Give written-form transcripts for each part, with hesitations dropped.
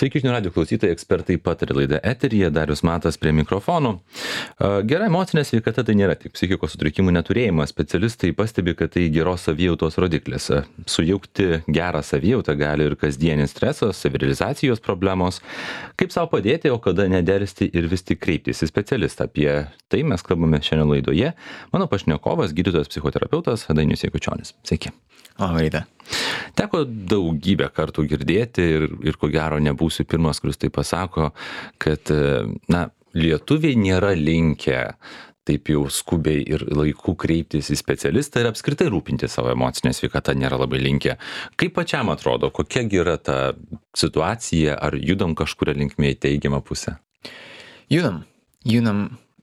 Sveiki, žinių radijo klausytojai, ekspertai pataria laida eteryje, Darius Matas prie mikrofonų. Gera emocinė sveikata tai nėra tik psichikos sutrikimų neturėjimas. Specialistai pastebi, kad tai geros savijautos rodiklis. Sujaukti gerą savijautą gali ir kasdienis stresas, savirealizacijos problemos. Kaip savo padėti, o kada nedelsti ir vis tik kreiptis į specialistą. Apie tai mes kalbame šiandien laidoje. Mano pašnekovas, gydytojas psichoterapeutas Dainius Jakučionis. Sveiki. Labą rytą. Teko daugybę kartų girdėti ir ko gero nebūsiu pirmas, kuris tai pasako, kad lietuviai nėra linkę taip jau skubiai ir laiku kreiptis į specialistą ir apskritai rūpinti savo emocinę sveikatą nėra labai linkę. Kaip pačiam atrodo, kokia yra ta situacija, ar judam kažkuria linkme į teigiamą pusę? Judam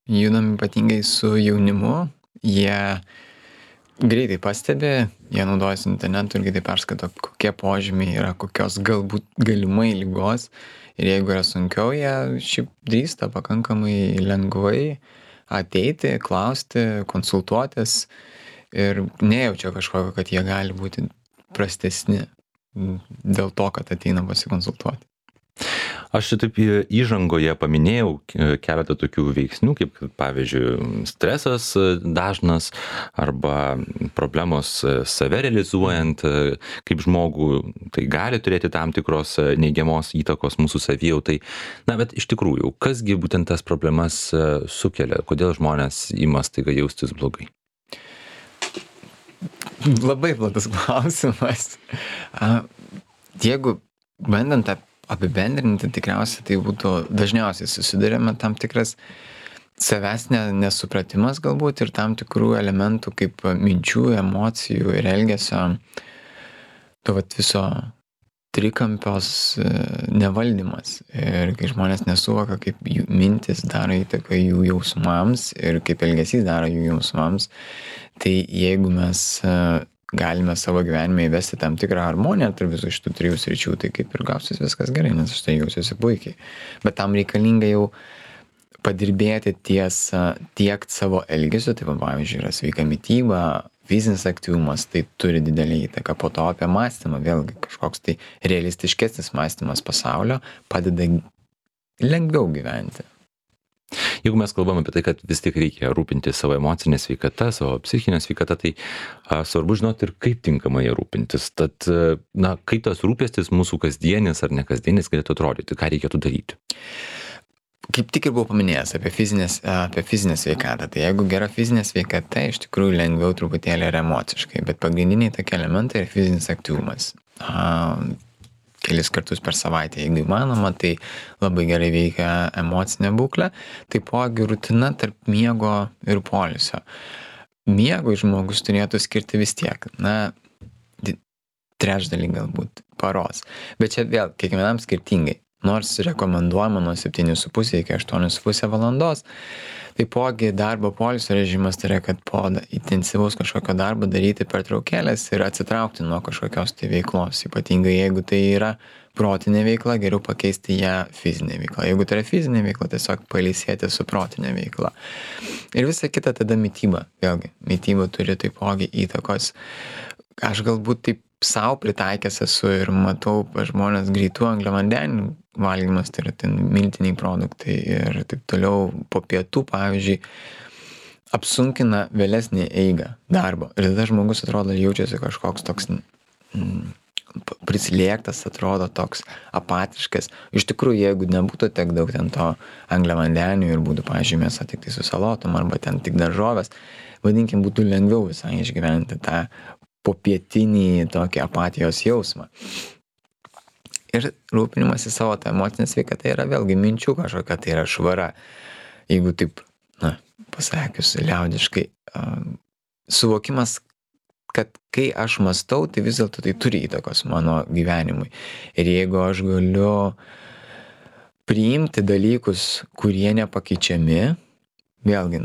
ypatingai su jaunimu. Jie greitai pastebi, jie naudojasi internetu ir greitai perskaito, kokie požymiai yra, kokios galbūt galimai ligos. Ir jeigu yra sunkiau, jie šiaip drįsta pakankamai lengvai ateiti, klausti, konsultuotis ir nejaučia kažkokio, kad jie gali būti prastesni dėl to, kad ateina pasikonsultuoti. Aš taip įžangoje paminėjau keletą tokių veiksnių, kaip pavyzdžiui stresas dažnas arba problemos save realizuojant, kaip žmogų tai gali turėti tam tikros neigiamos įtakos mūsų savijautai. Bet iš tikrųjų, kasgi būtent tas problemas sukelia, kodėl žmonės ima staiga jaustis blogai? Labai platus klausimas. Jeigu bandant apibendrinti, tikriausiai tai būtų dažniausiai susidurėme tam tikras savęs nesupratimas galbūt ir tam tikrų elementų kaip minčių, emocijų ir elgesio, to viso trikampios nevaldymas. Ir kai žmonės nesuvoka, kaip jų mintis daro įtaką jų jausmams ir kaip elgesys daro jų jausmams, tai jeigu mes galime savo gyvenime įvesti tam tikrą harmoniją tarp visų šitų trijų sričių, tai kaip ir gausis viskas gerai, nes aš tai jausiuosi puikiai. Bet tam reikalinga jau padirbėti ties tiek savo elgesiu, tai pavyzdžiui yra sveika mityba, fizinis aktyvumas, tai turi didelį įtaką. Po to apie mąstymą, vėlgi kažkoks tai realistiškesnis mąstymas pasaulio padeda lengviau gyventi. Jeigu mes kalbam apie tai, kad vis tik reikia rūpinti savo emocinę sveikatą, savo psichinę sveikatą, tai svarbu žinoti ir kaip tinkamai ją rūpintis. Tad, kaip tas rūpestis mūsų kasdienis ar nekasdienis galėtų atrodyti, ką reikėtų daryti? Kaip tik ir buvau paminėjęs apie fizinę sveikatą. Tai jeigu gera fizinė sveikata, iš tikrųjų lengviau truputėlį ir emociškai, bet pagrindiniai tokie elementai yra fizinis aktyvumas. Kelis kartus per savaitę, jeigu įmanoma, tai labai gerai veikia emocinė būklė. Taipogi rutina tarp miego ir poilsio. Miegui žmogus turėtų skirti vis tiek, trečdalį galbūt paros. Bet čia vėl kiekvienam skirtingai. Nors rekomenduojama nuo 7,5 iki 8,5 valandos. Taipogi darbo poilsio režimas tai yra, kad po intensyvaus kažkokio darbo daryti pertraukėlės ir atsitraukti nuo kažkokios tai veiklos. Ypatingai jeigu tai yra protinė veikla, geriau pakeisti ją fizinė veikla. Jeigu tai yra fizinė veikla, tiesiog pailsėti su protinė veikla. Ir visa kita tada mityba. Vėlgi, mityba turi taipogi įtakos. Aš galbūt taip savo pritaikęs esu ir matau žmonės greitų angliavandenių valgymas, tai yra ten miltiniai produktai ir taip toliau po pietų, pavyzdžiui, apsunkina vėlesnį eigą darbo. Ir tada žmogus atrodo jaučiasi kažkoks toks prislėgtas, atrodo toks apatiškas. Iš tikrųjų, jeigu nebūtų tiek daug ten to angliavandenių ir būtų, pavyzdžiui, mėsa tik tai su salotom arba ten tik daržovės, vadinkim, būtų lengviau visai išgyventi tą popietinį tokį apatijos jausmą. Ir rūpinimasis savo tą emocinę sveikatą yra vėlgi minčių kažkokia, tai yra švara. Jeigu taip, pasakius liaudiškai, suvokimas, kad kai aš mąstau, tai vis dėlto tai turi įtakos mano gyvenimui. Ir jeigu aš galiu priimti dalykus, kurie nepakeičiami, vėlgi,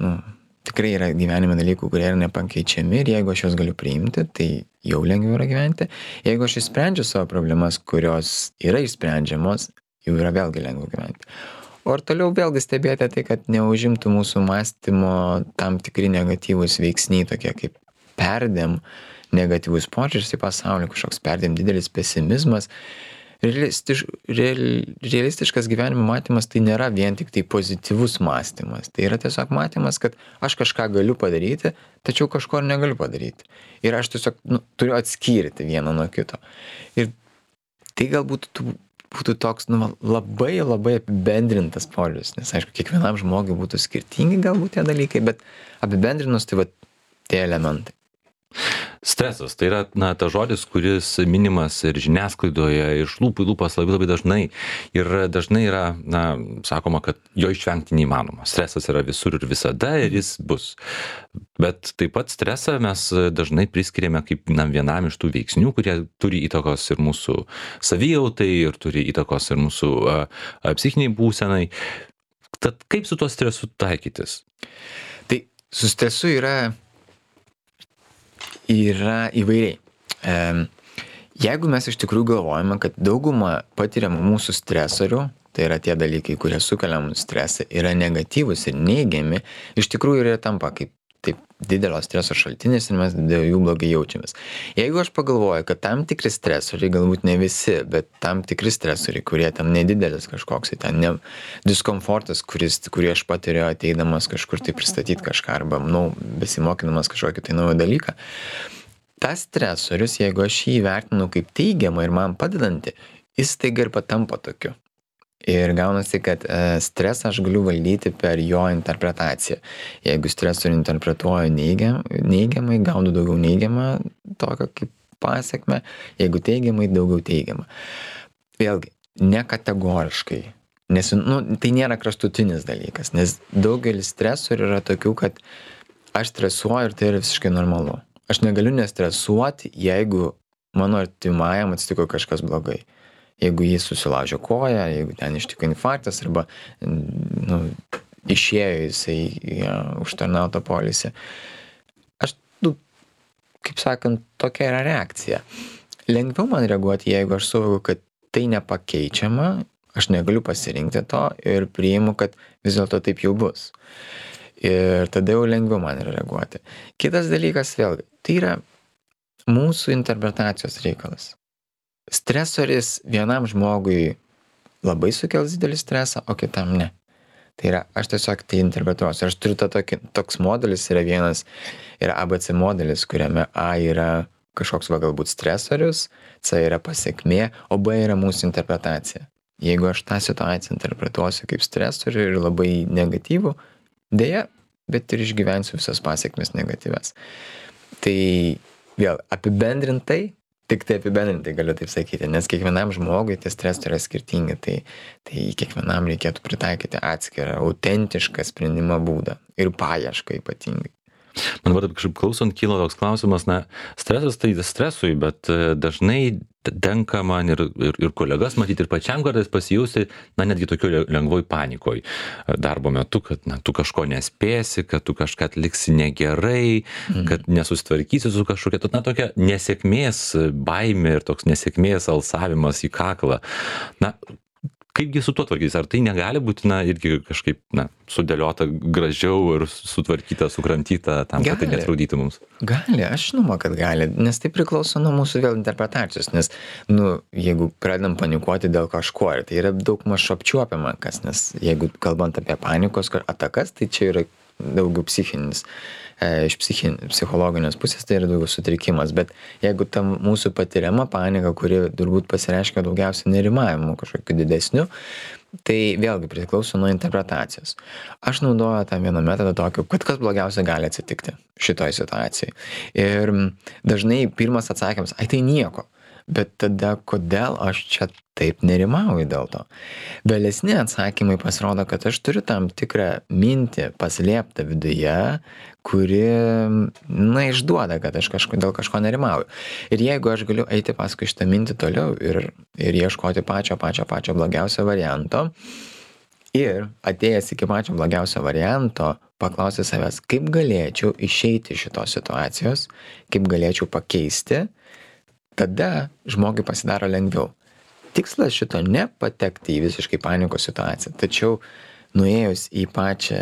tikrai yra gyvenime dalykų, kurie yra nepakeičiami ir jeigu aš juos galiu priimti, tai jau lengviau yra gyventi. Jeigu aš išsprendžiu savo problemas, kurios yra išsprendžiamos, jau yra vėlgi lengviau gyventi. O ir toliau vėlgi stebėti tai, kad neužimtų mūsų mąstymo tam tikri negatyvūs veiksniai, tokie kaip perdėm negatyvus požiūris į pasaulį, kažkoks perdėm didelis pesimizmas, realistiškas gyvenimo matymas tai nėra vien tik tai pozityvus mąstymas. Tai yra tiesiog matymas, kad aš kažką galiu padaryti, tačiau kažko ir negaliu padaryti. Ir aš tiesiog turiu atskirti vieną nuo kito. Ir tai galbūt būtų toks labai labai apibendrintas požiūris, nes aišku, kiekvienam žmogui būtų skirtingi galbūt tie dalykai, bet apibendrinus tai tie elementai. Stresas tai yra tas žodis, kuris minimas ir žiniasklaidoje, iš lūpų į lūpas labai dažnai. Ir dažnai yra, sakoma, kad jo išvengti neįmanoma. Stresas yra visur ir visada ir jis bus. Bet taip pat stresą mes dažnai priskiriame kaip vienam iš tų veiksnių, kurie turi įtakos ir mūsų savijautai, ir turi įtakos ir mūsų psichiniai būsenai. Tad kaip su tuo stresu taikytis? Tai su stresu yra įvairiai. Jeigu mes iš tikrųjų galvojame, kad dauguma patiriamų mūsų stresorių, tai yra tie dalykai, kurie sukelia mums stresą, yra negatyvus ir neigiami, iš tikrųjų yra tampa kaip taip didelio streso šaltinis ir mes dėl jų blogai jaučiamės. Jeigu aš pagalvoju, kad tam tikri stresoriai, galbūt ne visi, bet tam tikri stresoriai, kurie ten nedidelis kažkoks, ten ne diskomfortas, kurį aš patiriu ateidamas kažkur tai pristatyti kažką arba, besimokydamas kažkokį tai naują dalyką, tas stresorius, jeigu aš jį vertinu kaip teigiamą ir man padedantį, jis staiga ir patampa tokiu. Ir gaunasi, kad stresą aš galiu valdyti per jo interpretaciją. Jeigu stresorių interpretuoju neigiamai, gaunu daugiau neigiamą tokio kaip pasekmę, jeigu teigiamai, daugiau teigiamą. Vėlgi, nekategoriškai, nes tai nėra kraštutinis dalykas, nes daugelis stresorių yra tokių, kad aš stresuoju ir tai yra visiškai normalu. Aš negaliu nestresuoti, jeigu mano artimajam atsitiko kažkas blogai. Jeigu jis susilaužė koją, jeigu ten ištiko infarktas arba išėjo jisai užtarnautą polisį. Aš, kaip sakant, tokia yra reakcija. Lengviau man reaguoti, jeigu aš suvokiu, kad tai nepakeičiama, aš negaliu pasirinkti to ir priimu, kad vis dėlto taip jau bus. Ir tada jau lengviau man yra reaguoti. Kitas dalykas vėlgi, tai yra mūsų interpretacijos reikalas. Stresoris vienam žmogui labai sukels didelį stresą, o kitam ne. Tai yra, aš tiesiog tai interpretuosiu. Aš turiu toks modelis, yra vienas, yra ABC modelis, kuriame A yra kažkoks galbūt stresorius, C yra pasekmė, o B yra mūsų interpretacija. Jeigu aš tą situaciją interpretuosiu kaip stresorių ir labai negatyvų, deja, bet ir išgyvensiu visas pasekmes negatyves. Tai vėl apibendrintai galiu taip sakyti, nes kiekvienam žmogui tie stresai yra skirtingi, tai kiekvienam reikėtų pritaikyti atskirą, autentišką sprendimo būdą ir paiešką ypatingai. Man dabar kažkaip klausant kyla toks klausimas, stresas tai stresui, bet dažnai tenka man ir kolegas matyti ir pačiam kartais pasijausti, netgi tokioj lengvoj panikoj darbo metu, kad tu kažko nespėsi, kad tu kažką atliksi negerai, kad nesusitvarkysi su kažkokia, tokia nesėkmės baimė ir toks nesėkmės alsavimas į kaklą. Kaipgi su tuo tvarkytis? Ar tai negali būti irgi kažkaip sudėliota gražiau ir sutvarkyta, sukramtyta tam, kad tai netraudytų mums? Gali, aš žinoma, kad gali, nes tai priklauso nuo mūsų vėl interpretacijos, nes, jeigu pradedam panikuoti dėl kažko, ir tai yra daug maž apčiuopiama, nes jeigu kalbant apie panikos atakas, tai čia yra daugiau psichinis. Iš psichologinės pusės tai yra daugiau sutrikimas, bet jeigu tam mūsų patiriama panika, kuri turbūt pasireiškia daugiausiai nerimavimu kažkokiu didesniu, tai vėlgi priklauso nuo interpretacijos. Aš naudoju tą vieną metodą tokį, kad kas blogiausia gali atsitikti šitoj situacijai. Ir dažnai pirmas atsakymas, tai nieko. Bet tada kodėl aš čia taip nerimauju dėl to? Vėlesni atsakymai pasirodo, kad aš turiu tam tikrą mintį paslėptą viduje, kuri, išduoda, kad aš dėl kažko nerimauju. Ir jeigu aš galiu eiti paskui šitą mintį toliau ir ieškoti pačio blogiausio varianto, ir atėjęs iki pačio blogiausio varianto, paklausti savęs, kaip galėčiau išeiti iš šitos situacijos, kaip galėčiau pakeisti, tada žmogui pasidaro lengviau. Tikslas šito nepatekti į visiškai panikos situaciją, tačiau nuėjus į pačią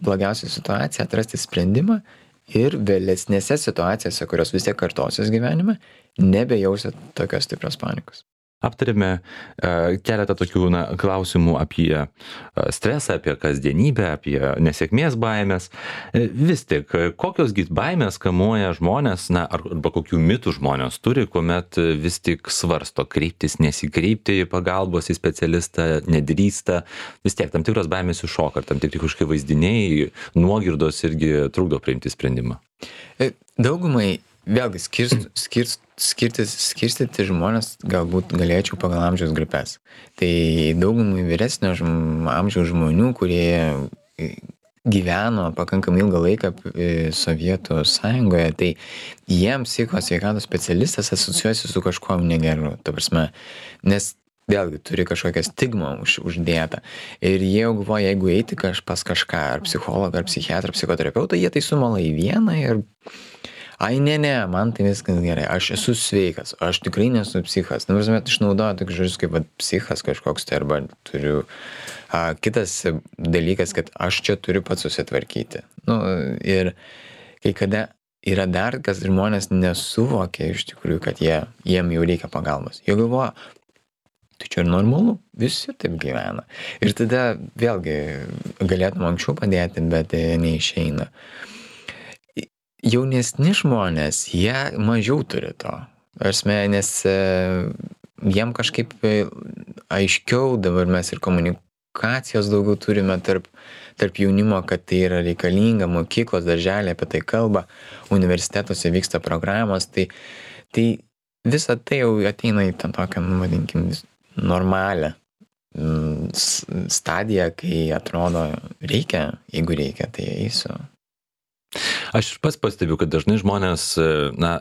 blogiausią situaciją, atrasti sprendimą ir vėlesnėse situacijose, kurios vis tiek kartosis gyvenime, nebejausit tokios stiprios panikos. aptarėme keletą tokių klausimų apie stresą, apie kasdienybę, apie nesėkmės baimės. Vis tik, kokiosgi baimės kamuoja žmonės, arba kokių mitų žmonės turi, kuomet vis tik svarsto kreiptis, nesikreipti pagalbos į specialistą, nedrįsta, vis tiek tam tikros baimės iššoka, ar tam tikri kažkokie vaizdiniai, nuogirdos irgi trukdo priimti sprendimą. Daugumai vėlgi skirstyti žmonės galbūt galėčiau pagal amžiaus grupės. Tai daugumai vyresnio amžiaus žmonių, kurie gyveno pakankamai ilgą laiką Sovietų sąjungoje, tai jiems psichikos sveikatos specialistas asocijuojasi su kažkuo negeru, ta prasme, nes vėlgi turi kažkokią stigmą uždėtą. Ir jie jau galvoja, jeigu eiti pas kažką, ar psichologą, ar psichiatrą, psichoterapeutą, jie tai sumala į vieną ir ne, man tai viskas gerai, aš esu sveikas, aš tikrai nesu psichas. Na, prasme, išnaudoja tokius žodžius kaip psichas kažkoks, tai arba turiu. Kitas dalykas, kad aš čia turiu pats susitvarkyti. Ir kai kada yra dar, kas žmonės nesuvokia iš tikrųjų, kad jiem jau reikia pagalbos. Jie galvoja, tai čia ir normalu, visi taip gyvena. Ir tada vėlgi galėtum anksčiau padėti, bet neišeina. Jaunesni žmonės, jie mažiau turi to. Nes jiem kažkaip aiškiau dabar mes ir komunikacijos daugiau turime tarp jaunimo, kad tai yra reikalinga, mokyklos, darželiai apie tai kalba, universitetuose vyksta programos, tai visa tai jau ateina į tą tokią, vadinkim, normalią stadiją, kai atrodo reikia, jeigu reikia, tai eisiu. Aš pats pastebiu, kad dažnai žmonės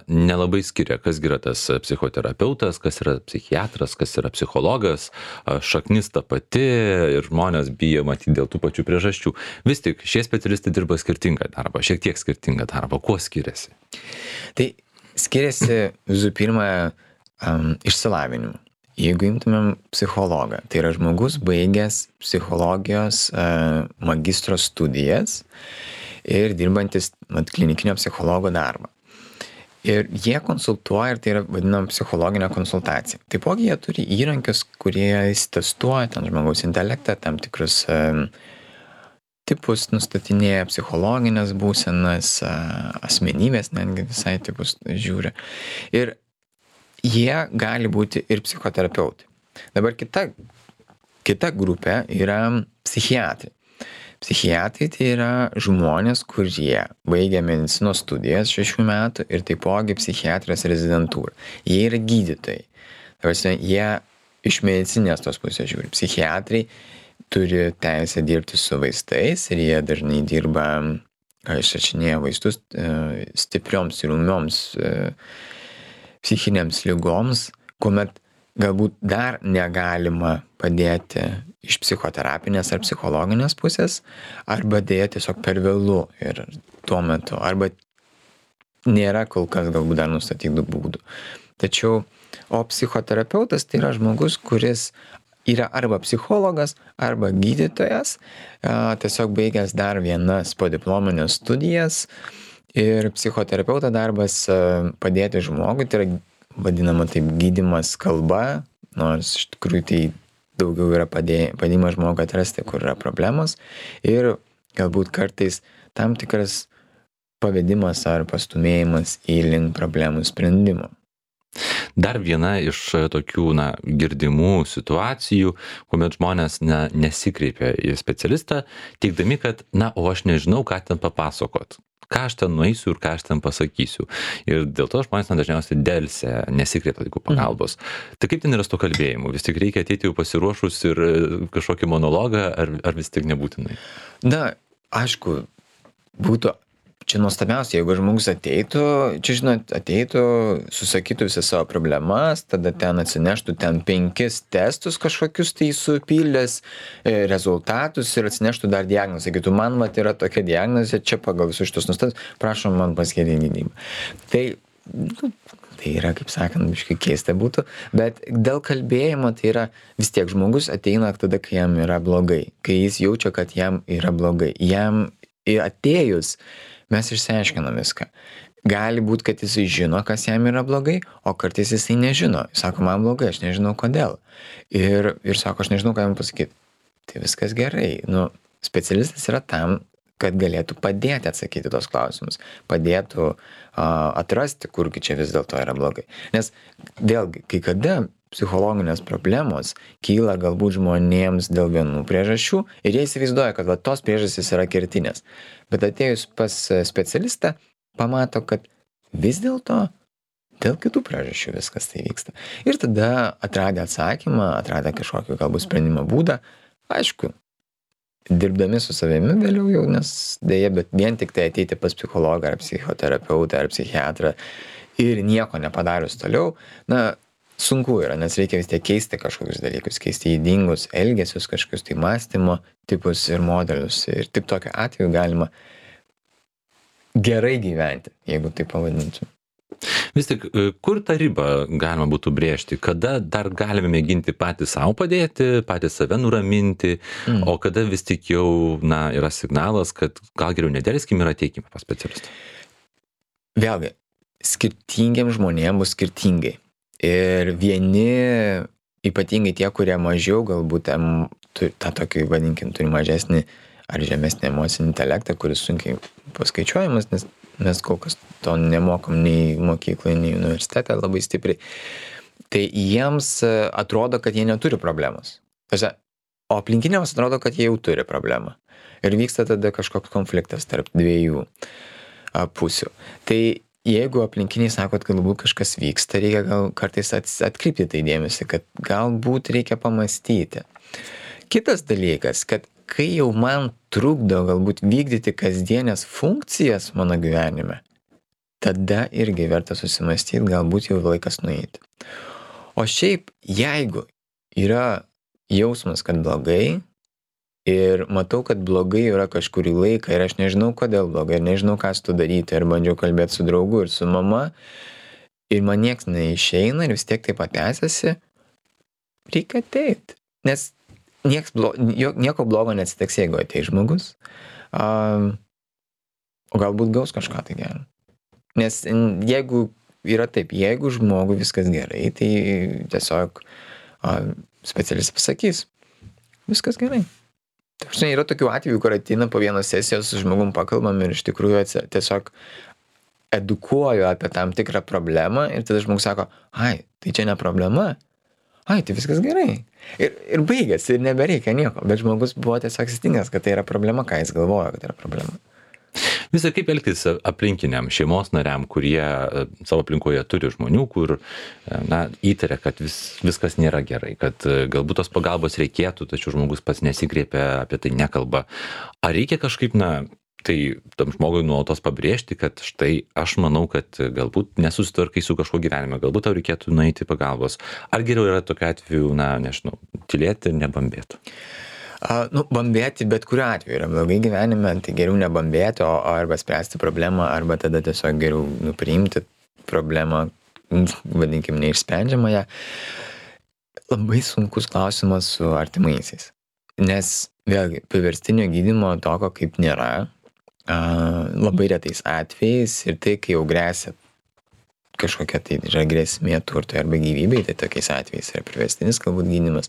nelabai skiria, kas yra tas psichoterapeutas, kas yra psichiatras, kas yra psichologas, šaknis ta pati ir žmonės bijo matyti dėl tų pačių priežasčių. Vis tik šie specialistai dirba skirtingą darbą, šiek tiek skirtingą darbą. Kuo skiriasi? Tai skiriasi visų pirma išsilavinimu. Jeigu imtumėm psichologą, tai yra žmogus baigęs psichologijos magistro studijas ir dirbantis klinikinio psichologo darbą. Ir jie konsultuoja, ir tai yra vadinama psichologinė konsultacija. Taipogi jie turi įrankius, kurie testuoja ten žmogaus intelektą, tam tikrus tipus nustatinėja, psichologinės būsenas, asmenybės netgi visai tipus žiūri. Ir jie gali būti ir psichoterapeutai. Dabar kita grupė yra psichiatrai. Psichiatrai tai yra žmonės, kurie baigia medicinos studijas 6 metų ir taipogi psichiatrijos rezidentūrą. Jie yra gydytojai. Jie iš medicinės tos pusės žiūri. Psichiatrai turi teisę dirbti su vaistais ir jie dažnai dirba, išrašinėja vaistus stiprioms ir ūmioms psichinėms ligoms, kuomet galbūt dar negalima padėti iš psichoterapinės ar psichologinės pusės, arba dėja tiesiog per vėlu ir tuo metu, arba nėra kol kas galbūt dar nustatytų būdų. Tačiau, o psichoterapeutas tai yra žmogus, kuris yra arba psichologas, arba gydytojas, tiesiog baigęs dar vienas podiplominės studijas. Ir psichoterapeuto darbas padėti žmogui, tai yra vadinama taip gydymas kalba, nors iš tikrųjų tai daugiau yra padėjimas žmogui atrasti, kur yra problemos, ir galbūt kartais tam tikras pavedimas ar pastumėjimas į link problemų sprendimo. Dar viena iš tokių girdimų situacijų, kuomet žmonės nesikreipia į specialistą, teigdami, kad o aš nežinau, ką ten papasakot. Ką aš ten nueisiu ir ką aš ten pasakysiu. Ir dėl to žmonės dažniausiai delsia, nesikreipia tokių pagalbos. Tai kaip ten yra su to kalbėjimu? Vis tik reikia ateiti jau pasiruošus ir kažkokį monologą, ar vis tik nebūtinai? Aišku, būtų čia nuostabiausia, jeigu žmogus ateitų, susakytų visas savo problemas, tada ten atsineštų 5 testus kažkokius tai supildęs rezultatus ir atsineštų dar diagnozę. Sakytų, man yra tokia diagnozė, čia pagal visus šitus nustatus, prašom man paskirti gydymą. Tai yra, kaip sakant, biškai keista būtų, bet dėl kalbėjimo tai yra vis tiek žmogus ateina tada, kai jam yra blogai, kai jis jaučia, kad jam yra blogai. Jam atėjus mes išsiaiškinam viską. gali būt, kad jisai žino, kas jam yra blogai, o kartais jisai nežino. Jis sako, man blogai, aš nežinau kodėl. Ir sako, aš nežinau, ką jam pasakyti. Tai viskas gerai. Nu, specialistas yra tam, kad galėtų padėti atsakyti tos klausimus, padėtų atrasti, kurgi čia vis dėlto yra blogai. Nes vėlgi, kai kada psichologinės problemos kyla galbūt žmonėms dėl vienų priežasčių ir jie įsivaizduoja, kad va, tos priežastys yra kertinės. Bet atėjus pas specialistą, pamato, kad vis dėlto dėl kitų priežasčių viskas tai vyksta. Ir tada atradę atsakymą, atradę kažkokį galbūt sprendimo būdą, aišku, dirbdami su savimi vėliau jau, nes dėja, bet vien tik tai ateiti pas psichologą ar psichoterapeutą ar psichiatrą ir nieko nepadarius toliau, na, sunku yra, nes reikia vis tiek keisti kažkokius dalykus, keisti ydingus elgesius, kažkokius tai mąstymo tipus ir modelius. Ir tik tokiu atveju galima gerai gyventi, jeigu tai pavadinčiau. Vis tik, kur tą ribą galima būtų brėžti? Kada dar galime mėginti patys savo padėti, patys save nuraminti, o kada vis tik jau yra signalas, kad gal geriau nedėlskim ir ateikime pas specialistą? Vėlgi, skirtingiems žmonėms bus skirtingai. Ir vieni, ypatingai tie, kurie mažiau galbūt tą tokį, vadinkim, turi mažesnį ar žemesnį emocinį intelektą, kuris sunkiai paskaičiuojamas, nes mes kol kas to nemokom nei mokyklai, nei universitete labai stipriai. Tai jiems atrodo, kad jie neturi problemos. O aplinkiniams atrodo, kad jie jau turi problemą. Ir vyksta tada kažkoks konfliktas tarp dviejų pusių. Tai jeigu aplinkiniai sako, kad galbūt kažkas vyksta, reikia gal kartais atkreipti tai dėmesį, kad galbūt reikia pamastyti. Kitas dalykas, kad kai jau man trukdo galbūt vykdyti kasdienės funkcijas mano gyvenime, tada irgi verta susimastyti, galbūt jau laikas nueiti. O šiaip, jeigu yra jausmas, kad blogai ir matau, kad blogai yra kažkurį laiką ir aš nežinau, kodėl blogai ir nežinau, ką su to daryti, ir bandžiau kalbėti su draugu ir su mama ir man nieks neišeina ir vis tiek taip tęsiasi, reikia ateiti. Nes nieko blogo neatsitiks, jeigu ateis žmogus, o galbūt gaus kažką tai gero. Nes jeigu yra taip, jeigu žmogui viskas gerai, tai tiesiog specialistas pasakys, viskas gerai. Yra tokių atvejų, kur ateina po vienos sesijos su žmogum pakalbam ir iš tikrųjų tiesiog edukuoju apie tam tikrą problemą ir tada žmogus sako, ai, tai čia ne problema. Ai, tai viskas gerai. Ir baigėsi, ir nebereikia nieko. Bet žmogus buvo tiesiog įsitikinęs, kad tai yra problema, ką jis galvoja, kad yra problema. Visai kaip elgtis aplinkiniam šeimos nariam, kurie savo aplinkoje turi žmonių, kur įtaria, kad viskas nėra gerai, kad galbūt tos pagalbos reikėtų, tačiau žmogus pats nesikreipia, apie tai nekalba. Ar reikia kažkaip, tai tam žmogui nuolatos pabrėžti, kad štai aš manau, kad galbūt nesusitvarkai su kažko gyvenime, galbūt tau reikėtų nueiti pagalbos. Ar geriau yra tokiu atveju, nežinau, tylėti ir nebambėti? Bambėti bet kuriuo atveju yra blogai gyvenime, tai geriau nebambėti, arba spręsti problemą, arba tada tiesiog geriau priimti problemą, vadinkim, neišsprendžiamąją. Labai sunkus klausimas su artimaisiais. Nes vėlgi, priverstinio gydymo tokio kaip nėra, labai retais atvejais ir tai, kai jau gresia kažkokia tai grėsmė turtui arba gyvybei, tai tokiais atvejais yra priverstinis galbūt gydymas.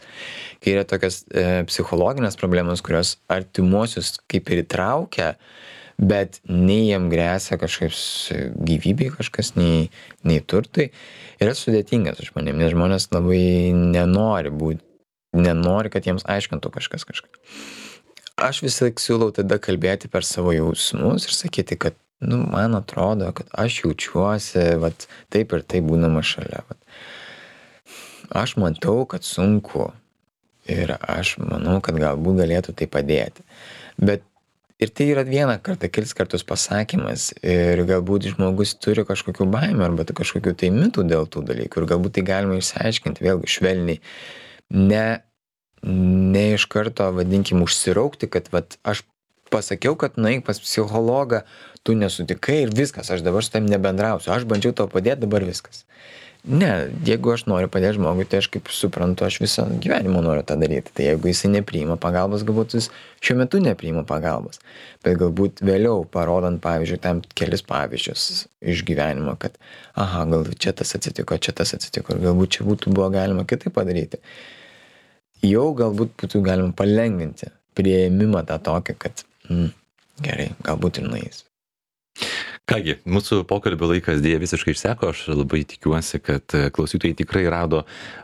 Kai yra tokios psichologinės problemos, kurios artimuosius kaip ir įtraukia, bet nei jam gresia kažkaip gyvybei kažkas, nei turtui, yra sudėtingas žmonėms, nes žmonės labai nenori, kad jiems aiškintų kažkas kažką. Aš vis laik siūlau tada kalbėti per savo jausmus ir sakyti, kad man atrodo, kad aš jaučiuosi taip ir taip būdama šalia. Aš matau, kad sunku ir aš manau, kad galbūt galėtų tai padėti. Bet ir tai yra vieną kartą, kelis kartus pasakymas ir galbūt žmogus turi kažkokių baimių arba kažkokių tai mitų dėl tų dalykų ir galbūt tai galima išsiaiškinti vėlgi švelniai. Ne iš karto, vadinkim, užsiraukti, kad aš pasakiau, kad nueik pas psichologą, tu nesutikai ir viskas, aš dabar su tavim nebendrausiu, aš bandžiau tau padėti, dabar viskas. Ne, jeigu aš noriu padėti žmogui, tai aš kaip suprantu, aš visą gyvenimą noriu tą daryti. Tai jeigu jisai nepriima pagalbos, galbūt jis šiuo metu nepriima pagalbos. Bet galbūt vėliau, parodant, pavyzdžiui, tam kelis pavyzdžius iš gyvenimo, kad, aha, gal čia tas atsitiko, ir galbūt čia būtų buvo galima kitaip padaryti. Jau galbūt būtų galima palengvinti priėmimą tą tokį, kad gerai, galbūt ir nueis. Kągi, mūsų pokalbio laikas dėja visiškai išseko, aš labai tikiuosi, kad klausytojai tikrai rado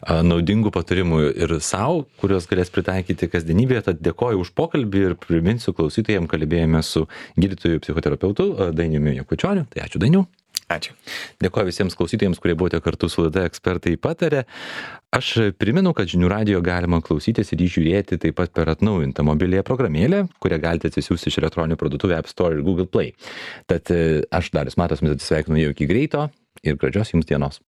naudingų patarimų ir savo, kuriuos galės pritaikyti kasdienybėje, tad dėkoju už pokalbį ir priminsiu klausytojams, kalbėjome su gydytoju psichoterapeutu Dainiumi Jakučioniu, tai ačiū Dainiau. Ačiū. Dėkoju visiems klausytojams, kurie buvote kartu su laida Ekspertai pataria. Aš primenu, kad Žinių radijo galima klausytis ir žiūrėti taip pat per atnaujintą mobiliąją programėlę, kurią galite atsisiųsti iš elektroninių parduotuvių App Store ir Google Play. Tad aš Darius Matas, mes atsisveikinu jau iki greito ir gražios jums dienos.